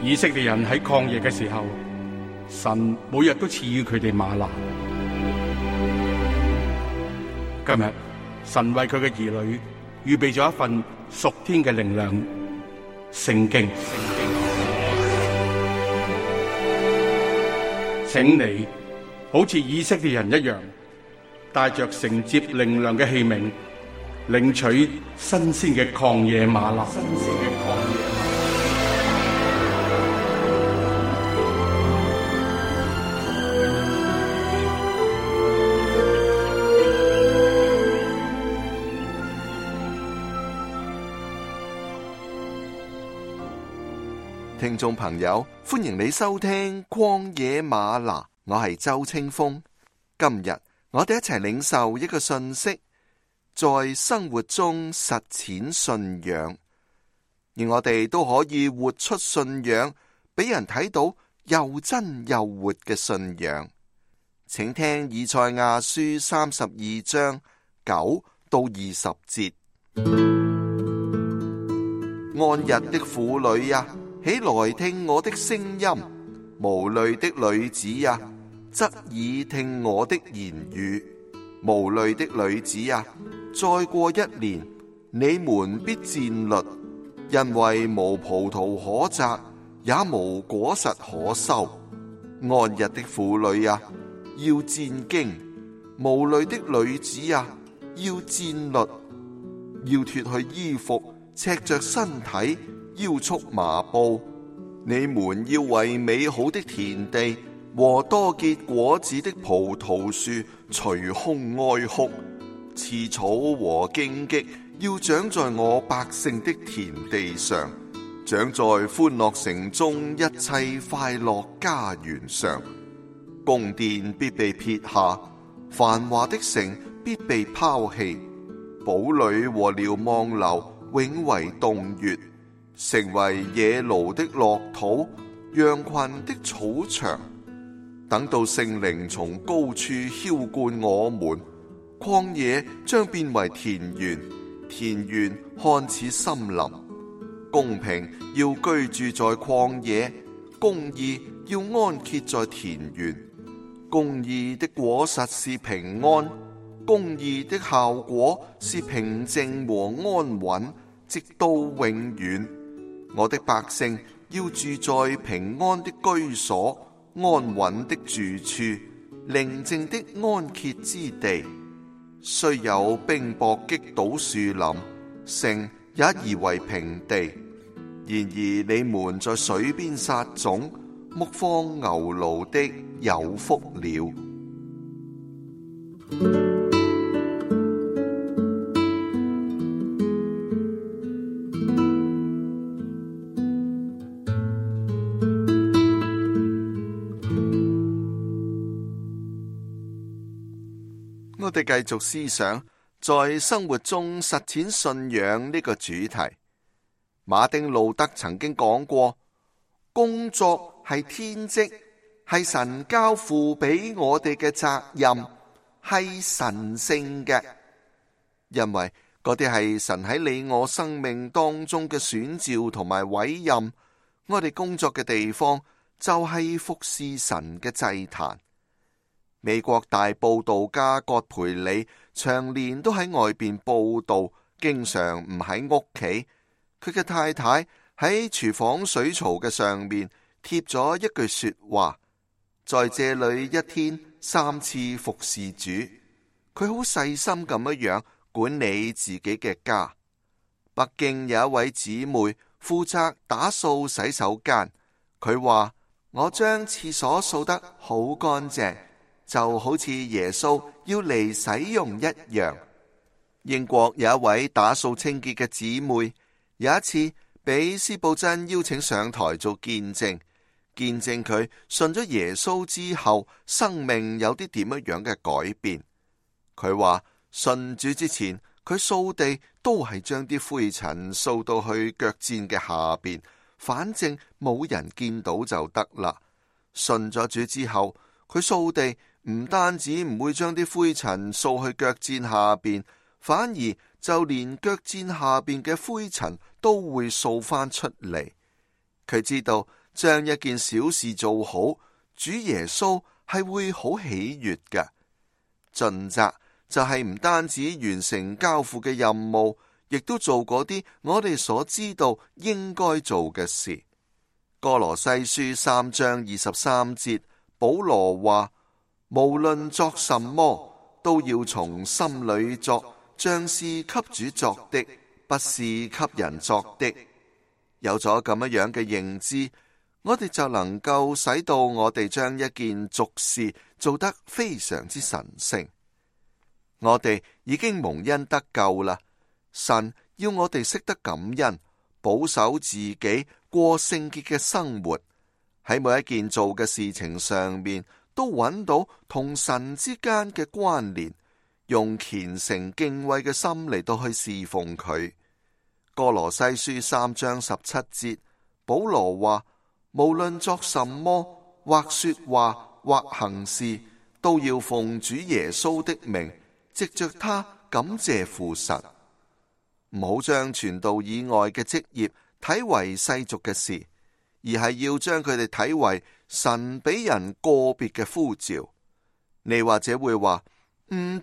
以色列人喺曠野嘅時候，神每日都賜予佢哋嗎哪。今日神為佢嘅兒女預備咗一份屬天嘅靈糧——聖經。請你好似以色列人一樣，帶着承接靈糧嘅器皿，領取新鮮嘅曠野嗎哪。聽眾朋友，歡迎你收聽曠野嗎哪，我係周清風。今日我哋一齊領受一個信息，在生活中實踐信仰，而我哋都可以活出信仰，俾人睇到又真又活嘅信仰。請聽以賽亞書32章9到20節。安逸的婦女啊，起來聽我的聲音，無慮的女子啊，側耳聽我的言語。無慮的女子啊，再過1年，你們必戰慄，因為無葡萄可摘，也無果實可收。安逸的婦女啊，要戰兢；無慮的女子啊，要戰慄，要脫去衣服，赤着身體，腰束麻布。你們要為美好的田地和多結果子的葡萄樹捶胸哀哭。刺草和荊棘要長在我百姓的田地上，長在歡樂城中一切快樂家園上。宮殿必被撇下，繁華的城必被拋棄，堡壘和瞭望樓永為洞穴，成為野驢的落土，羊群的草場。等到聖靈從高處澆灌我們，曠野將變為田園，田園看似森林。公平要居住在曠野，公義要安歇在田園。公義的果實是平安，公義的效果是平靜和安穩，直到永遠。我的百姓要住在平安的居所，安穩的住處，寧靜的安歇之地。雖有冰雹擊倒樹林，城也夷為平地。然而你們在水邊撒種，牧放牛驢的有福了。我哋繼續思想在生活中實踐信仰呢個主題。馬丁路德曾經講過，工作係天職，係神交付俾我哋嘅責任，係神聖嘅，因為嗰啲係神喺你我生命當中嘅選召同埋委任。我哋工作嘅地方就係服侍神嘅祭壇。美國大佈道家葛培理長年都喺外邊佈道，經常唔喺屋企。佢嘅太太喺廚房水槽嘅上面貼咗一句說話：在這裏一天3次服侍主。佢好細心咁樣管理自己嘅家。北京有一位姊妹負責打掃洗手間，佢話：我將廁所掃得好乾淨，就好似耶穌要嚟使用一樣。英國有一位打掃清潔嘅姊妹，有一次俾司布真邀請上台做見證佢信咗耶穌之後，生命有啲點樣嘅改變。佢話信主之前，佢掃地都係將啲灰塵掃到去腳墊嘅下邊，反正冇人見到就得啦。信咗主之後，佢掃地唔單止唔會將啲灰塵掃去腳墊下邊，反而就連腳墊下邊嘅灰塵都會掃翻出嚟。佢知道將一件小事做好，主耶穌係會好喜悅嘅。盡責就係唔單止完成交付嘅任務，亦都做嗰啲我哋所知道應該做嘅事。歌羅西書3章23節，保羅話：無論作什麼，都要從心裏作，像是給主作的，不是給人作的。有咗咁樣嘅認知，我哋就能夠使到我哋將一件俗事做得非常之神聖。我哋已經蒙恩得救啦，神要我哋識得感恩，保守自己過聖潔嘅生活，喺每一件做嘅事情上面都揾到同神之間嘅關聯，用虔誠敬畏嘅心嚟到去侍奉佢。歌羅西書3章17節，保羅話：無論作什麼，或說話，或行事，都要奉主耶穌的名，藉着他感謝父神。唔好將傳道以外嘅職業睇為世俗嘅事，而係要將佢哋睇為神俾人個別嘅呼召。你或者會話，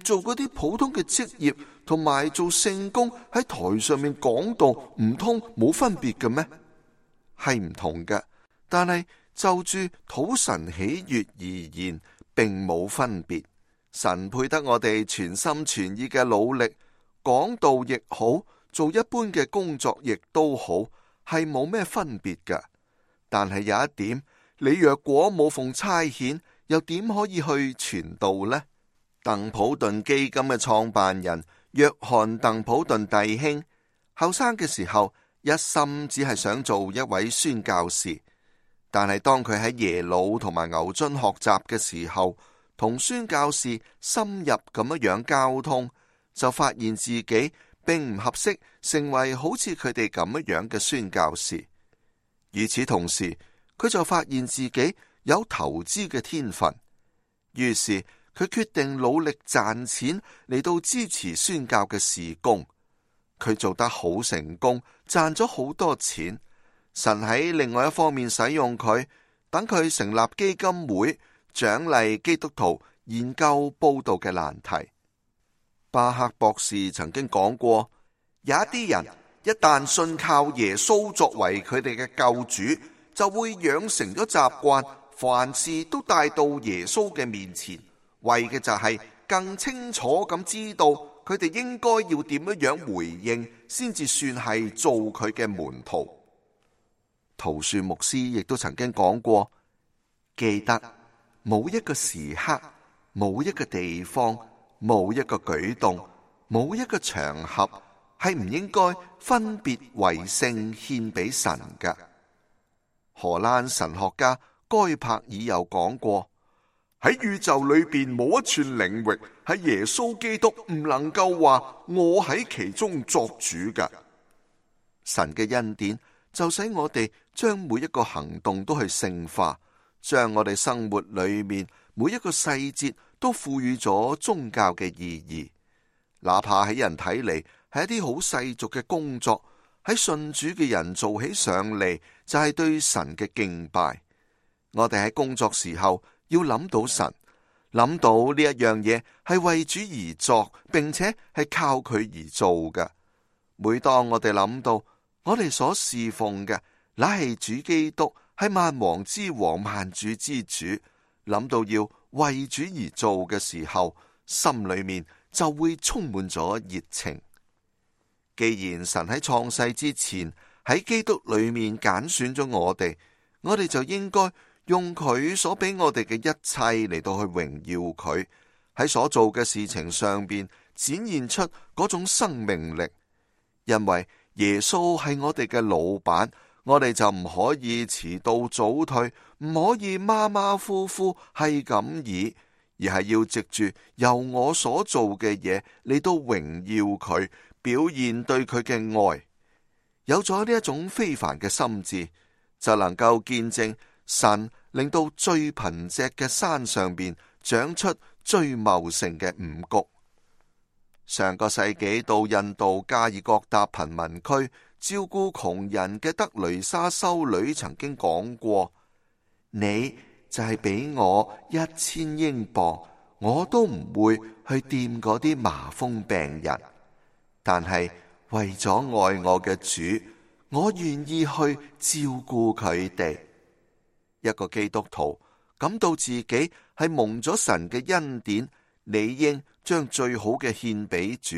做嗰啲普通嘅職業同埋做聖工喺台上面講道，唔通冇分別嘅咩？係唔同嘅，但係就住討神喜悅而言，並冇分別。神配得我哋全心全意嘅努力，講道亦好，做一般嘅工作亦都好，係冇咩分別嘅。但係有一點，你若果冇奉差遣，又點可以去傳道呢？鄧普頓基金嘅創辦人約翰鄧普頓弟兄，後生嘅時候一心只係想做一位宣教士，但係當佢喺耶魯同埋牛津學習嘅時候，同宣教士深入咁樣交通，就發現自己並唔合適成為好似佢哋咁樣嘅宣教士。與此同時，佢就發現自己有投資嘅天分，於是佢決定努力賺錢嚟到支持宣教嘅事工。佢做得好成功，賺咗好多錢。神喺另外一方面使用佢，等佢成立基金會，獎勵基督徒研究佈道嘅難題。巴克博士曾經講過，有一啲人一旦信靠耶穌作為佢哋嘅救主，就會養成咗習慣，凡事都帶到耶穌嘅面前，為嘅就係更清楚咁知道佢哋應該要點樣回應，先至算係做佢嘅門徒。陶恕牧師亦都曾經講過，記得冇一個時刻，冇一個地方，冇一個舉動，冇一個場合係唔應該分別為聖獻俾神嘅。荷蘭神學家該柏爾又講過，喺宇宙裏邊冇一寸領域係耶穌基督唔能夠話我喺其中作主嘅。神嘅恩典就使我哋將每一個行動都去聖化，將我哋生活裏面每一個細節都賦予咗宗教嘅意義。哪怕喺人睇嚟係一啲好世俗嘅工作，喺信主嘅人做起上嚟就係對神嘅敬拜。我哋喺工作時候要諗到神，諗到呢一樣嘢係為主而作，並且係靠佢而做嘅。每當我哋諗到我哋所侍奉嘅乃係主基督，係萬王之王、萬主之主，諗到要為主而做嘅時候，心裏面就會充滿咗熱情。既然神喺創世之前喺基督裏面揀選咗我哋就應該用佢所俾我哋嘅一切嚟到去榮耀佢，喺所做嘅事情上邊展現出嗰種生命力。因為耶穌係我哋嘅老闆，我哋就唔可以遲到早退，唔可以馬馬虎虎係咁意，而係要藉住由我所做嘅嘢嚟到榮耀佢，表現對佢嘅愛。有咗呢一種非凡嘅心智，就能夠見證神令到最貧瘠嘅山上邊長出最茂盛嘅五穀。上個世紀到印度加爾各答貧民區照顧窮人嘅德雷莎修女曾經講過：你就係俾我1000英鎊，我都唔會去掂嗰啲麻風病人。但係為咗愛我嘅主，我願意去照顧佢哋。一個基督徒感到自己係蒙咗神嘅恩典，理應將最好嘅獻俾主，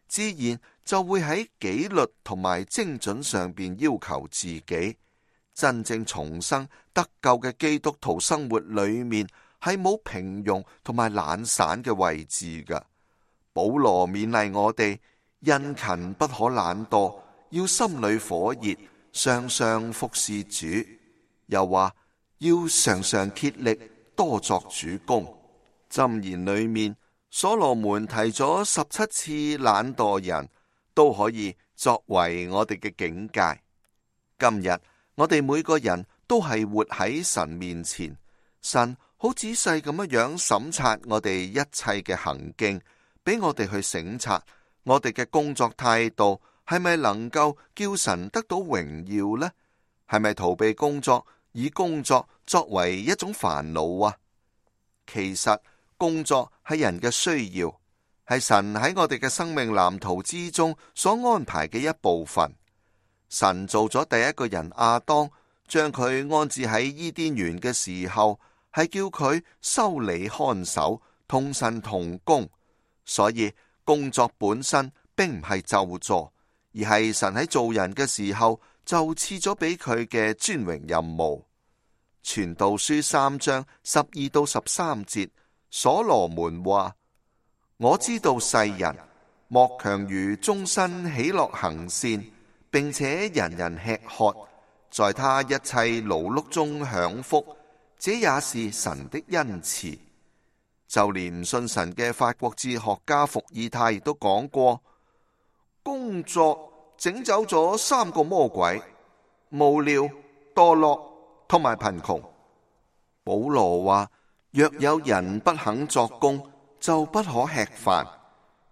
自然就會喺紀律同埋精準上邊要求自己。真正重生得救嘅基督徒生活裏面係冇平庸同埋懶散嘅位置㗎。保羅勉勵我哋，殷勤不可懶惰，要心裏火熱，常常服侍主。又話要常常竭力，多作主工。箴言裏面，所羅門提咗17次懶惰人，都可以作為我哋嘅警戒。今日我哋每個人都係活喺神面前，神好仔細咁樣審察我哋一切嘅行徑，俾我哋去省察我哋嘅工作態度係咪能夠叫神得到榮耀呢？係咪逃避工作，以工作作為一種煩惱啊？其實工作係人嘅需要，係神喺我哋嘅生命藍圖之中所安排嘅一部分。神做咗第一個人亞當，將佢安置喺伊甸園嘅時候，係叫佢修理看守，同神同工。所以工作本身並唔係咒詛，而係神喺做人嘅時候就賜咗俾佢嘅尊榮任務。傳道書3章12到13節，所羅門話：我知道世人莫強如終身喜樂行善，並且人人吃喝，在他一切勞碌中享福，這也是神的恩賜。就連唔信神嘅法國哲學家伏爾泰亦都講過：工作整走咗3個魔鬼，無聊、墮落同埋貧窮。保羅話：若有人不肯作工，就不可吃飯。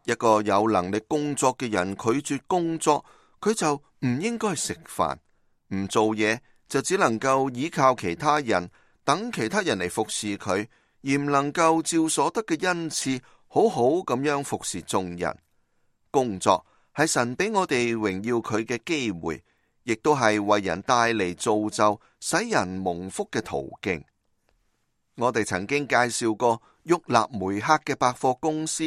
一個有能力工作嘅人拒絕工作，佢就唔應該食飯。唔做嘢就只能夠依靠其他人，等其他人嚟服侍佢，而唔能夠照所得嘅恩賜好好咁樣服侍眾人。工作係神俾我哋榮耀佢嘅機會，亦都係為人帶嚟造就，使人蒙福嘅途徑。我哋曾經介紹過沃納梅克嘅百貨公司，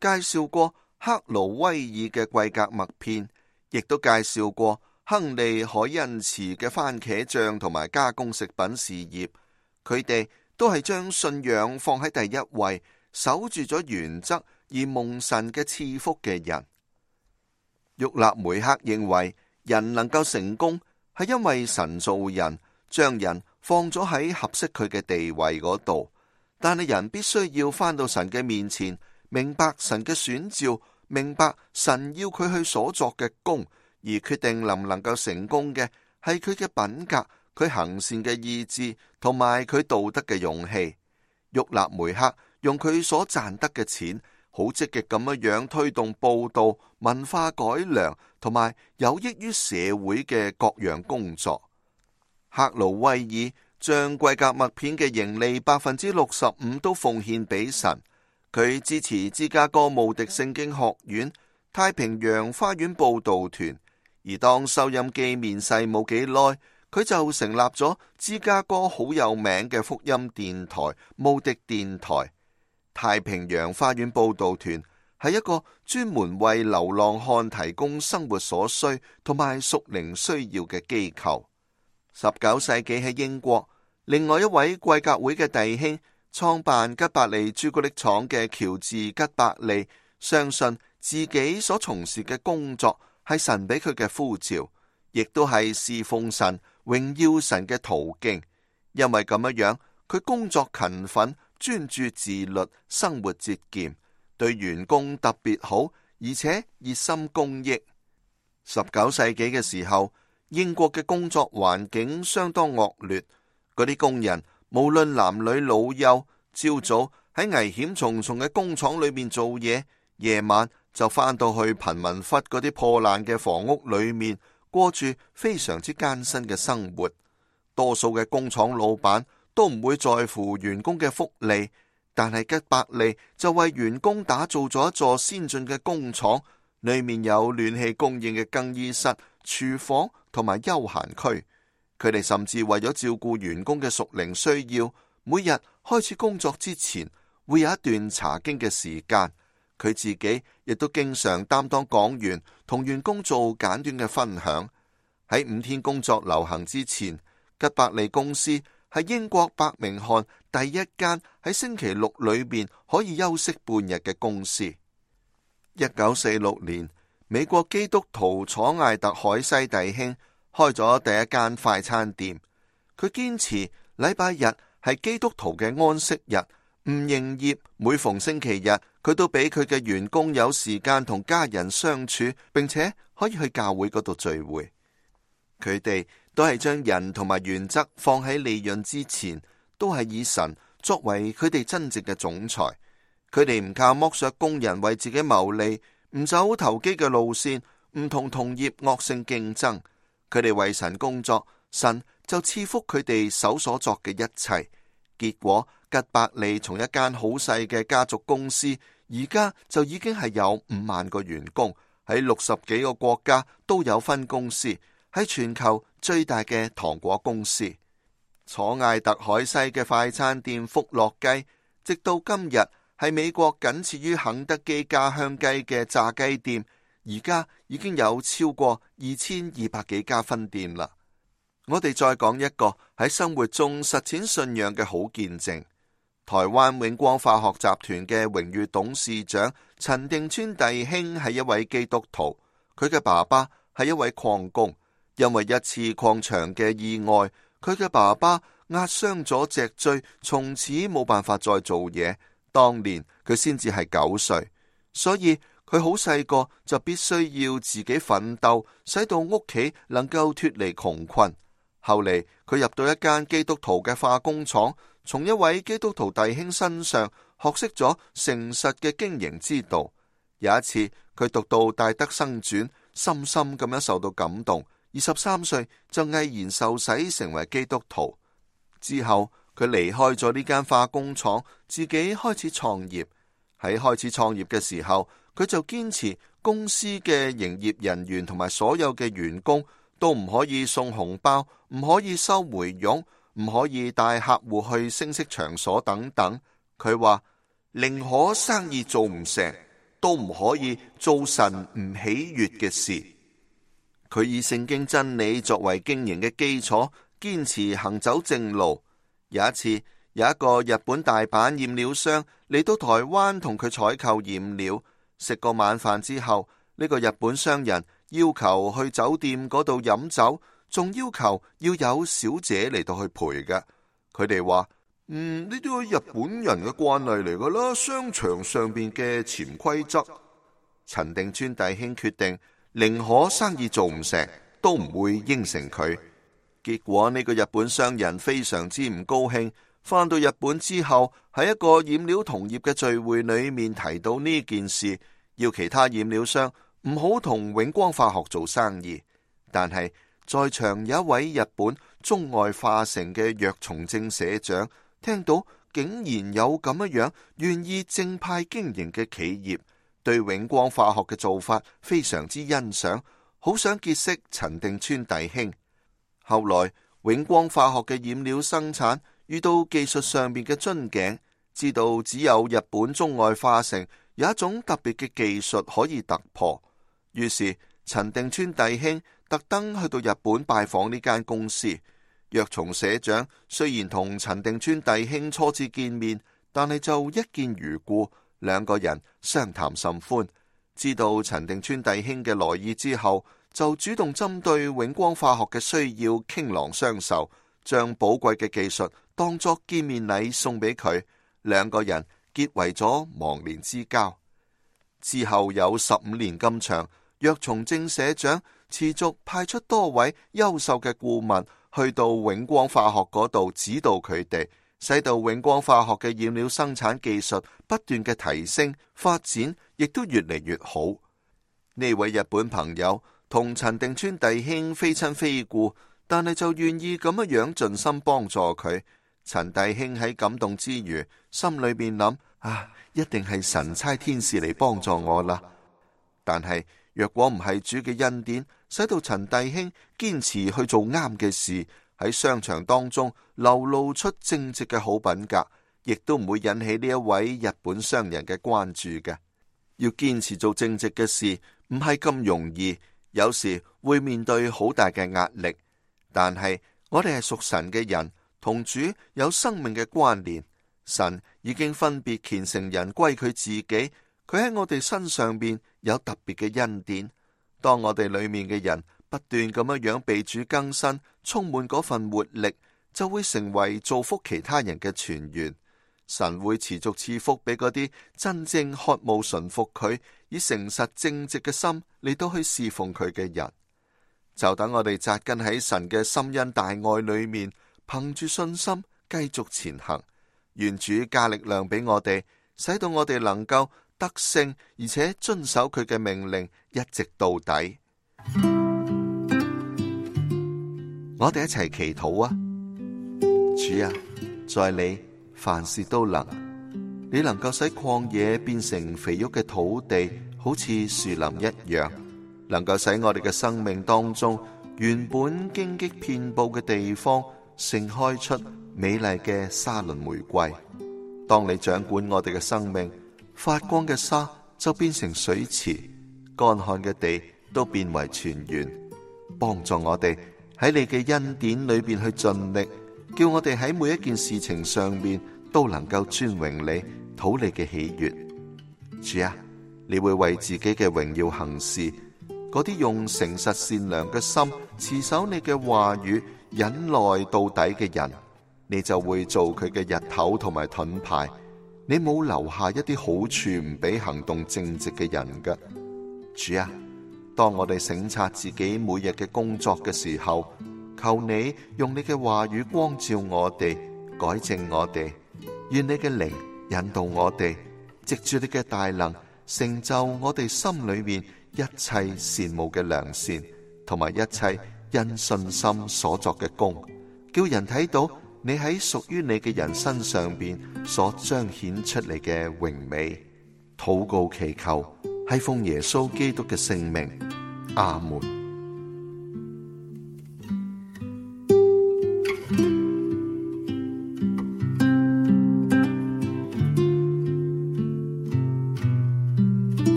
介紹過克勞威爾嘅貴格麥片，亦都介紹過亨利海恩茨嘅番茄醬同埋加工食品事業。佢哋都係將信仰放喺第一位，守住咗原則而蒙神嘅賜福嘅人。沃納梅克認為人能夠成功係因為神造人，將人放咗喺合適佢嘅地位嗰度，但係人必須要返到神嘅面前，明白神嘅選召，明白神要佢去所作嘅工，而決定能唔能夠成功嘅係佢嘅品格，佢行善嘅意志同埋佢道德嘅勇氣。沃納梅克用佢所賺得嘅錢，好積極咁樣推動報道、文化改良同埋有益於社會嘅各樣工作。克勞威爾將貴格麥片嘅盈利65%都奉獻俾神。佢支持芝加哥慕迪聖經學院、太平洋花園報道團，而當收音機面世冇幾耐，佢就成立咗芝加哥好有名嘅福音電台慕迪電台。太平洋花園報道團係一個專門為流浪漢提供生活所需同埋屬靈需要嘅機構。19世紀喺英國，另外一位貴格會嘅弟兄創辦吉百利朱古力廠嘅喬治吉百利，相信自己所從事嘅工作係神俾佢嘅呼召，亦都係侍奉神、榮耀神嘅途徑。因為咁樣，佢工作勤奮、專注自律、生活節儉，對員工特別好，而且熱心公益。19世紀嘅時候，英國嘅工作環境相當惡劣，嗰啲工人無論男女老幼，朝早喺危險重重嘅工廠裏面做嘢，夜晚就返到去貧民窟嗰啲破爛嘅房屋裏面，過住非常之艱辛嘅生活。多數嘅工廠老闆都唔會在乎員工嘅福利，但係吉伯利就為員工打造咗一座先進嘅工廠，裏面有暖氣供應嘅更衣室、廚房同埋休閒區。佢哋甚至為咗照顧員工嘅屬靈需要，每日開始工作之前會有一段查經嘅時間。佢自己亦都經常擔當講員，同員工做簡短嘅分享。喺5天工作流行之前，吉伯利公司係英國伯明翰第一間喺星期六裏面可以休息半日嘅公司。1946年，美國基督徒楚艾特海西弟兄開咗第一間快餐店。佢堅持禮拜日係基督徒嘅安息日，唔營業。每逢星期日，佢都俾佢嘅員工有時間同家人相處，並且可以去教會嗰度聚會。佢哋都係將人同埋原則放喺利潤之前，都係以神作為佢哋真正嘅總裁。佢哋唔靠剝削工人為自己牟利，唔走投機嘅路線，唔同同業惡性競爭。佢哋為神工作，神就賜福佢哋手所作嘅一切。結果吉伯利從一間好細嘅家族公司，而家就已經係有5萬個員工，喺60幾個國家都有分公司，喺全球最大嘅糖果公司。楚艾特海西嘅快餐店福樂雞，直到今日係美國僅次於肯德基家鄉雞嘅炸雞店，而家已經有超過2200幾家分店啦。我哋再講一個喺生活中實踐信仰嘅好見證。台灣永光化學集團嘅榮譽董事長陳定川弟兄係一位基督徒，佢嘅爸爸係一位礦工。因為一次礦場嘅意外，佢嘅爸爸壓傷咗脊椎，從此冇辦法再做嘢。當年佢先至係9歲，所以佢好細個就必須要自己奮鬥，使到屋企能夠脫離窮困。後嚟佢入到一間基督徒嘅化工廠，從一位基督徒弟兄身上學識咗誠實嘅經營之道。有一次佢讀到戴德生傳，深深咁樣受到感動。23歲就毅然受洗成為基督徒。之後佢離開咗呢間化工廠，自己開始創業。喺開始創業嘅時候，佢就堅持公司嘅營業人員同埋所有嘅員工都唔可以送紅包，唔可以收回佣，唔可以帶客戶去聲色場所等等。佢話寧可生意做唔成，都唔可以做神唔喜悅嘅事。佢以聖經真理作為經營嘅基礎，堅持行走正路。有一次，有一個日本大阪染料商嚟到台灣同佢採購染料。食過晚飯之後，呢個日本商人要求去酒店嗰度飲酒，仲要求要有小姐嚟到去陪嘅。佢哋話：呢啲係日本人嘅慣例嚟噶啦，商場上邊嘅潛規則。陳定川弟兄決定寧可生意做唔成，都唔會應承佢。結果呢個日本商人非常之唔高興，返到日本之後，喺一個染料同業嘅聚會裏面提到呢件事，要其他染料商唔好同永光化學做生意。但係在場有一位日本中外化成嘅藥松正社長，聽到竟然有咁樣願意正派經營嘅企業，對永光化學嘅做法非常之欣賞，好想結識陳定川弟兄。後來永光化學嘅染料生產遇到技術上面嘅樽頸，知道只有日本中外化成有一種特別嘅技術可以突破，於是陳定川弟兄特登去到日本拜訪呢間公司。藥松社長雖然同陳定川弟兄初次見面，但係就一見如故，兩個人相談甚歡。知道陳定川弟兄嘅來意之後，就主動針對永光化學嘅需要傾囊相授，將寶貴嘅技術當作見面禮送俾佢。兩個人結為咗忘年之交。之後有15年咁長，藥松正社長持續派出多位優秀嘅顧問去到永光化學嗰度指導佢哋，使到永光化學嘅染料生產技術不斷嘅提升發展，亦都越嚟越好。呢位日本朋友同陳定村弟兄非親非故，但係就願意咁樣盡心幫助佢。陳弟兄喺感動之餘，心裏邊諗：一定係神差天使嚟幫助我啦。但係若果唔係主嘅恩典，使到陳弟兄堅持去做啱嘅事，喺商場當中流露出正直嘅好品格，亦都唔會引起呢一位日本商人嘅關注嘅。要堅持做正直嘅事，唔係咁容易，有時會面對好大嘅壓力。但係我哋係屬神嘅人，同主有生命嘅關聯。神已經分別虔誠人歸佢自己，佢喺我哋身上邊有特別嘅恩典。當我哋裏面嘅人不斷咁樣被主更新，充滿嗰份活力，就會成為造福其他人嘅泉源。神會持續賜福俾嗰啲真正渴慕順服佢，以誠實正直嘅心嚟到去侍奉佢嘅人。就等我哋扎根喺神嘅深恩大愛裏面，憑住信心繼續前行。願主加力量俾我哋，使到我哋能夠得勝，而且遵守佢嘅命令，一直到底。我哋一齊祈禱啊！主啊，在你凡事都能，你能夠使曠野變成肥沃嘅土地，好似樹林一樣，能夠使我哋嘅生命當中原本荊棘遍佈嘅地方盛開出美麗嘅沙崙玫瑰。當你掌管我哋嘅生命，發光嘅沙就變成水池，乾旱嘅地都變為泉源。幫助我哋喺你嘅恩典裏邊去盡力，叫我哋喺每一件事情上面都能夠尊榮你，討你嘅喜悅。主啊，你會為自己嘅榮耀行事。嗰啲用誠實善良嘅心持守你嘅話語，忍耐到底嘅人，你就會做佢嘅日頭同埋盾牌。你冇留下一啲好處唔俾行動正直嘅人㗎。主啊，當我哋省察自己每日嘅工作嘅時候，求你用你嘅話語光照我哋，改正我哋。願你嘅靈引導我哋，藉住你嘅大能，成就我哋心裏面一切羨慕嘅良善，同埋一切因信心所作嘅功，叫人睇到你喺屬於你嘅人身上邊所彰顯出嚟嘅榮美。禱告祈求係奉耶穌基督嘅聖名，阿門。